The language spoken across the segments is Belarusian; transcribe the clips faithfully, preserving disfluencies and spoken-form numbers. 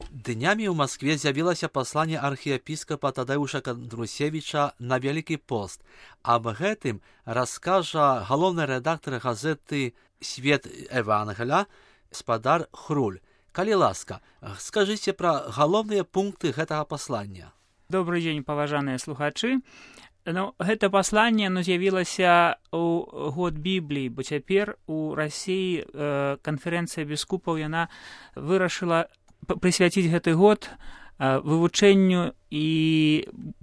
Днямі ў Маскве з'явілася пасланне архіепіскапа Тадэуша Кандрусевіча на Вялікі пост. Аб гэтым раскажа галоўны рэдактар газеты «Свет Евангеля» спадар Хруль. Калі ласка, скажыце пра галоўныя пункты гэтага паслання. Добрый дзень, паважаныя слухачы. Ну, гэта пасланне оно з'явілася ў год Бібліі, бо цяпер у Расіі э, канферэнцыя біскупаў яна вырашыла прысвяціць гэты год э, вывучэнню і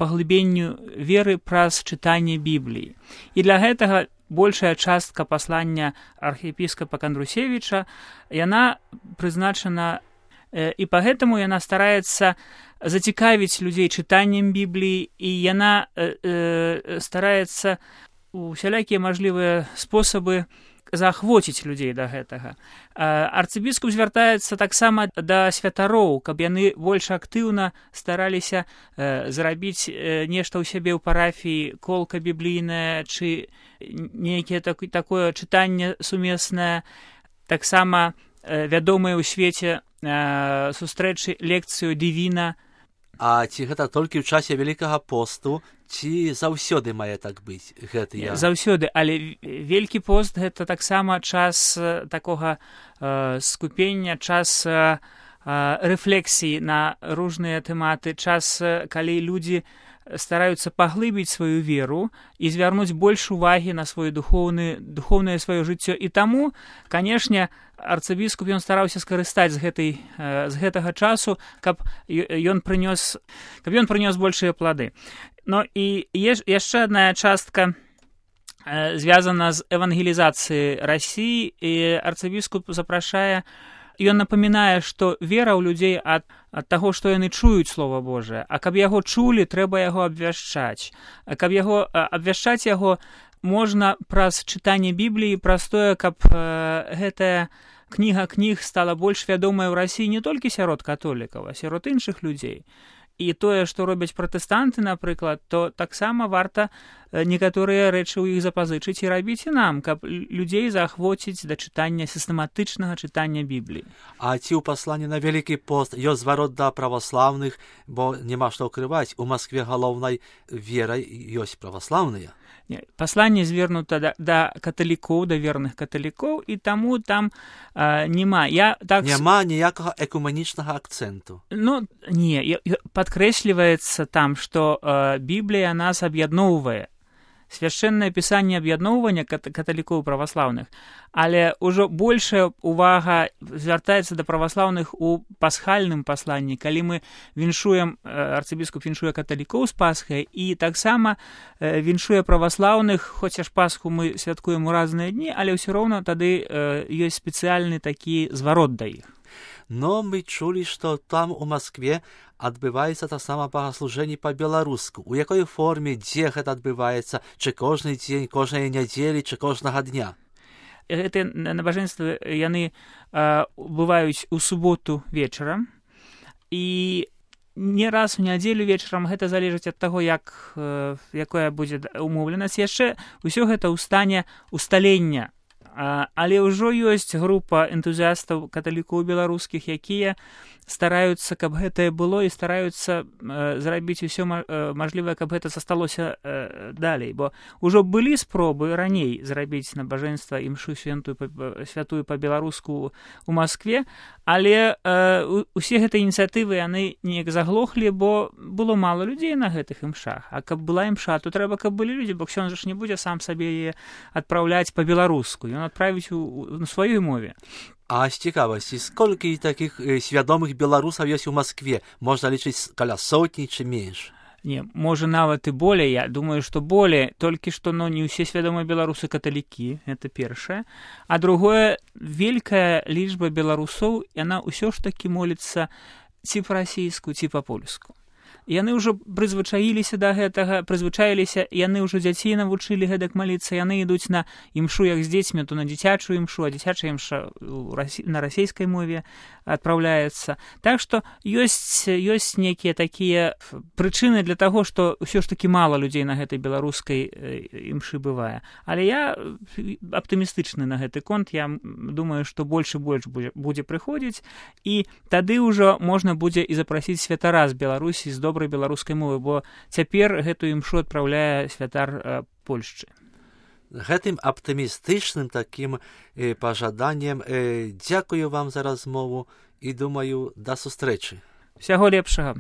паглыбенню веры праз чытанне Бібліі. І для гэтага большая частка паслання архіепіскапа Кандрусевіча яна прызначана, э, і пагэтаму яна стараецца зацікавіць людзей чытаннем Бібліі, і яна э, э, стараецца усялякія мажлівыя спосабы заахвоціць людзей да гэтага. Арцыбіскуп звяртаецца таксама да святароў, каб яны больш актыўна стараліся э, зрабіць э, нешта ў сябе ў парафіі, колка біблійная, ці нейкае так, такое чытанне сумеснае. Таксама э, вядомыя ў свеце э, сустрэчы лекцыю дывіна. А ці гэта толькі ў часе Вялікага посту, ці заўсёды мае так быць гэтыя? Заўсёды, але Велькі пост гэта таксама час такога э, скупення, час э, рэфлексіі на różne тэматы, час, калі людзі стараюцца паглыбіць сваю веру і звярнуць больш увагі на сваё духоўны, духоўнае сваё жыццё. І таму, канешне, арцыбіскуп ён стараўся скарыстаць з, гэтай, з гэтага часу, каб ён прынёс, каб ён прынёс большыя плады. Ну і яшчэ адна частка э, звязана з евангелізацыяй Расіі, і арцыбіскуп запрашае, ён напамінае, што вера ў людзей ад, ад таго, што яны чуюць Слова Божае, а каб яго чулі, трэба яго абвяшчаць. А каб яго абвяшчаць яго можна праз чытанне Бібліі, праз тое, каб э, гэтая кніга кніг стала больш вядомая ў Расіі не толькі сярод католікаў, а сярод іншых людзей. І тое, што робяць пратэстанты, напрыклад, то таксама варта некаторыя рэчы ў іх запазычыць і рабіць і нам, каб людзей заахвоціць да чытання, сістэматычнага чытання Бібліі. А ці ў пасланні на Вялікі пост ёсць зварот да праваслаўных, бо няма што ўкрываць, у Маскве галоўнай верай ёсць праваслаўныя? Не, пасланне звернута да, да каталікоў, да верных каталікоў, і таму там а, няма. Я, так... Няма ніякага экуменічнага акцэнту. Ну, не, падкрэсліваецца там, што а, Біблія нас аб'ядноўвае. Свяшчэннае пісанне аб'ядноўвання каталікоў праваслаўных, але ўжо большая увага звяртаецца да праваслаўных у пасхальным пасланні, калі мы віншуем, арцыбіскуп віншуе каталікоў з Пасхай, і таксама віншуе праваслаўных, хоць аж Пасху мы святкуем у разныя дні, але ўсё роўна тады ёсць спецыяльны такі зварот да іх. Но мы чулі, што там у Маскве адбываецца таксама богаслужэнне па-беларуску. У якой форме, дзе гэта адбываецца? Чи кожны дзень, кожнай нядзелі, чи кожнага дня? Гэтыя набажэнствы, яны э, бываюць у суботу вечарам, і не раз у нядзелю вечарам, гэта залежыць ад таго, як, э, якая будзе умоўленасць. Яшчэ ўсё гэта ў стане усталення. Але ўжо ёсць група энтузіастаў каталікоў беларускіх, якія стараюцца, каб гэтае было, і стараюцца э, зрабіць усё э, мажлівае, каб гэта засталося э, далей. Бо ўжо былі спробы раней зрабіць набажэнства імшу святую, святую па-беларуску ў Маскве, але э, усе гэтыя ініцыятывы яны неяк заглохлі, бо было мала людзей на гэтых імшах. А каб была імша, то трэба, каб былі людзі, бо ксёндз ж не будзе сам сабе яе адпраўляць па-беларуску. Ён адправіць у, у, у сваёй мове. А з цікавасці, сколькі такіх э, свядомых беларусаў ёсць у Маскве? Можна лічыць каля сотні ці менш? Не, можа нават і болей. Я думаю, што болей. Толькі што, ну, не ўсе свядомыя беларусы каталікі, гэта першае. А другое, вялікая лічба беларусоў, яна ўсё ж такі моліцца ці па-расійску, ці па-польску. яны ўжо прызвычаіліся да гэтага, прызвычаіліся, яны ўжо дзяцей навучылі гэтак маліцца, яны ідуць на імшу, як з дзецьмі, то на дзіцячую імшу, а дзіцячая імша на расійскай мове адпраўляецца. Так што ёсць, ёсць нейкія такія прычыны для таго, што ўсё ж такі мала людзей на гэтай беларускай імшы бывае. Але я аптымістычны на гэты конт, я думаю, што больш і больш будзе, будзе прыходзіць, і тады ўжо можна будзе і запрасіць святара з Беларусі, з добрай беларускай мовы, бо цяпер гэтую імшу адпраўляе святар Польшчы. Гэтым аптымістычным такім э, пажаданнем э, дзякую вам за размову і думаю, да сустрэчы. Усяго лепшага.